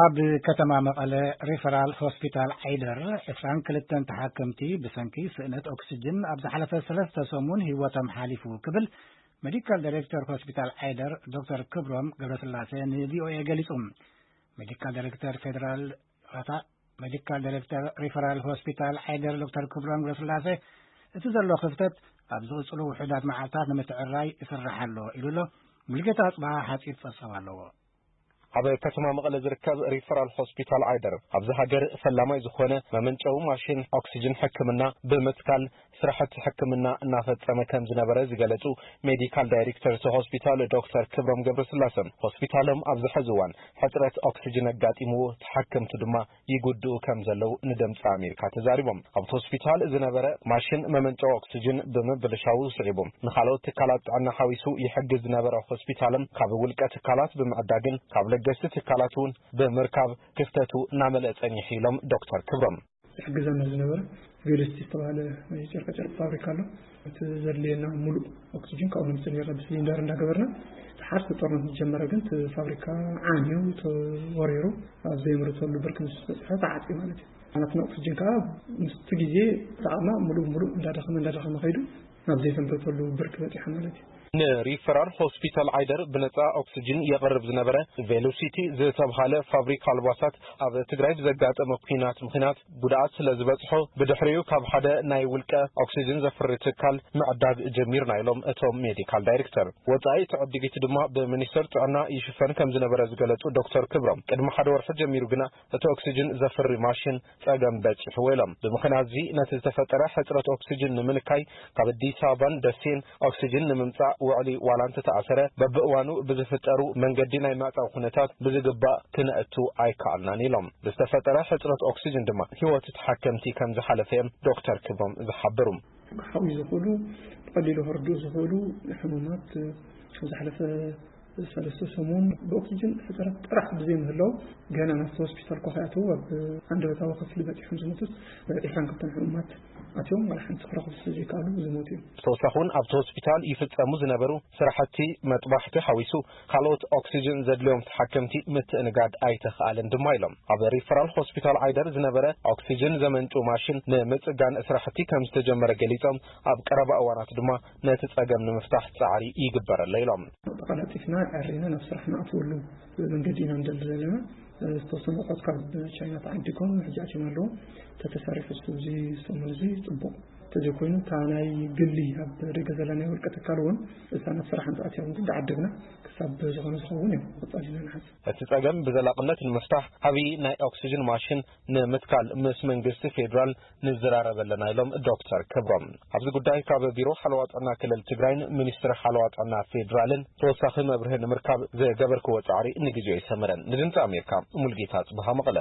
ኣብ ከተማ መቐለ ሪፈራል ሆስፒታል ዓይደር ዕስራን ክልተን ተሓከምቲ ብሰንኪ ስእነት ኦክስጅን ኣብ ዝሓለፈ ሰለስተ ሰሙን ህይወቶም ሓሊፉ ክብል ሜዲካል ዳይሬክተር ሆስፒታል ዓይደር ዶክተር ክብሮም ገብረስላሴ ንቪኦኤ ገሊጹ። ሜዲካል ዳይሬክተር ፌደራል ራታ ሜዲካል ዳይሬክተር ሪፈራል ሆስፒታል ዓይደር ዶክተር ክብሮም ገብረስላሴ፣ እቲ ዘሎ ክፍተት ኣብ ዝቕጽሉ ውሑዳት መዓልታት ንምትዕራይ ይስራሕ ኣሎ ኢሉ ኣሎ። ሙልጌታ ኣጽብሃ ሓጺር ጸብጻብ ኣለዎ። ኣብ ከተማ መቐለ ዝርከብ ሪፈራል ሆስፒታል ዓይደር ኣብዚ ሃገር ፈላማይ ዝኾነ መመንጨዊ ማሽን ኦክሲጅን ሕክምና ብምትካል ስራሕቲ ሕክምና እናፈጸመ ከም ዝነበረ ዝገለጹ ሜዲካል ዳይሬክተር እቲ ሆስፒታል ዶክተር ክብሮም ገብረስላሰ፣ ሆስፒታሎም ኣብዚ ሕዚ እዋን ሕጽረት ኦክሲጅን ኣጋጢምዎ፣ ተሓከምቱ ድማ ይጉድኡ ከም ዘለዉ ንድምፂ ኣሜሪካ ተዛሪቦም። ኣብቲ ሆስፒታል ዝነበረ ማሽን መመንጨዊ ኦክሲጅን ብምብልሻዉ ስዒቡ፣ ንኻልኦት ትካላት ጥዕና ሓዊሱ ይሕግዝ ዝነበረ ሆስፒታልም ካብ ውልቀ ትካላት ብምዕዳግን ካብ ለገስቲ ትካላት እውን ብምርካብ ክፍተቱ እናመልአ ጸኒሑ ኢሎም ዶክተር ክብሮም። ዝሕግዘና ዝነበረ ቬሎሲቲ ዝተባህለ ናይ ጨርቃጨርቅ ፋብሪካ ኣሎ። እቲ ዘድልየና ሙሉእ ኦክሲጅን ካብኡ ነምፅእ ነርና ብሲሊንደር እንዳገበርና። እቲ ሓርሲ ጦርነት ምስ ጀመረ ግን እቲ ፋብሪካ ዓንዩ ተወሪሩ ኣብ ዘየምርተሉ ብርኪ ምስ በፅሐ ተዓፅዩ ማለት እዩ። ናትና ኦክሲጅን ከዓ ምስቲ ግዜ ብጣዕማ ሙሉእ ሙሉእ እንዳደኸመ እንዳደኸመ ከይዱ ናብ ዘይተምርተሉ ብርኪ በፂሐ ማለት እዩ። ንሪፈራል ሆስፒታል ዓይደር ብነፃ ኦክሲጅን የቕርብ ዝነበረ ቬሎሲቲ ዝተብሃለ ፋብሪካ ኣልባሳት ኣብ ትግራይ ብዘጋጠመ ኲናት ምኽንያት ጉድኣት ስለ ዝበፅሖ፣ ብድሕሪኡ ካብ ሓደ ናይ ውልቀ ኦክሲጅን ዘፍሪ ትካል ምዕዳግ ጀሚርና ኢሎም እቶም ሜዲካል ዳይሬክተር። ወፃኢ እቲ ዕድጊት ድማ ብሚኒስትር ጥዕና ይሽፈን ከም ዝነበረ ዝገለፁ ዶክተር ክብሮም፣ ቅድሚ ሓደ ወርሒ ጀሚሩ ግና እቲ ኦክሲጅን ዘፍሪ ማሽን ጸገም በጺሕዎ ኢሎም። ብምኽንያት እዚ ነቲ ዝተፈጠረ ሕጽረት ኦክሲጅን ንምንካይ ካብ ኣዲስ ኣበባን ደሴን ኦክሲጅን ንምምጻእ ውዕሊ ዋላ እንተተኣሰረ፣ በብእዋኑ ብዝፍጠሩ መንገዲ ናይ ምዕጻው ኩነታት ብዝግባእ ክነእቱ ኣይከኣልናን ኢሎም። ብዝተፈጠረ ሕጽረት ኦክሲጅን ድማ ህይወት ተሓከምቲ ከም ዝሓለፈ እዮም ዶክተር ክብሮም ዝሓብሩ። ክሓውዩ ዝኽእሉ፣ ብቐሊሉ ከርድኡ ዝኽእሉ ሕሙማት፣ ዝሓለፈ ሰለስተ ሰሙን ብኦክሲጅን ሕጽረት ጥራሕ ብዘይምህላው፣ ገና ናብቲ ሆስፒታል እኳ ከይኣተዉ ኣብ ኣንደበታዊ ክፍሊ በጺሖም ዝሞቱት ዒስራን ክልተን ሕሙማት ኣትዮም፣ ዋላ ሓንቲ ክረኽቡ ስለ ዘይከኣሉ ዝሞቱ እዮም። ብተወሳኺ እውን ኣብቲ ሆስፒታል ይፍጸሙ ዝነበሩ ስራሕቲ መጥባሕቲ ሓዊሱ ካልኦት ኦክሲጅን ዘድልዮም ተሓከምቲ ምትእንጋድ ኣይተኽኣለን ድማ ኢሎም። ኣብ ሪፈራል ሆስፒታል ዓይደር ዝነበረ ኦክሲጅን ዘመንጩ ማሽን ንምጽጋን ስራሕቲ ከም ዝተጀመረ ገሊጾም፣ ኣብ ቀረባ እዋናት ድማ ነቲ ጸገም ንምፍታሕ ጻዕሪ ይግበር ኣሎ ኢሎም። ተቐላጢፍና ዕሪና ናብ ስራሕ ንኣትወሉ መንገዲ ኢና ንደሊ ዘለና። ዝተወሰኑ ኣቑሑት ካብ ቻይና ተዓዲጎም ሕጂ ኣትዮም ኣለዉ። ተተሰሪሑ እዚ ሰሙን እዚ ጽቡቕ። ተዘይኮይኑ እታ ናይ ግሊ ኣብ ደገ ዘላ ናይ ውልቀ ትካል እውን እሳ ናብ ስራሕ እንተኣትያ እውን እንዳዓደግና ክሳብ ዝኾነ ዝኸውን እዮም ክቕጸል ኢና ንሓስብ። እቲ ጸገም ብዘላቕነት ንምፍታሕ ዓብዪ ናይ ኦክሲጅን ማሽን ንምትካል ምስ መንግስቲ ፌዴራል ንዘራረብ ኣለና ኢሎም ዶክተር ክብሮም። ኣብዚ ጉዳይ ካብ ቢሮ ሓለዋ ጥዕና ክልል ትግራይን ሚኒስትሪ ሓለዋ ጥዕና ፌዴራልን ተወሳኺ መብርሂ ንምርካብ ዝገበርክዎ ጻዕሪ ንግዜኡ ኣይሰመረን። ንድምፂ ኣሜሪካ ሙልጌታ ጽብሃ መቐለ።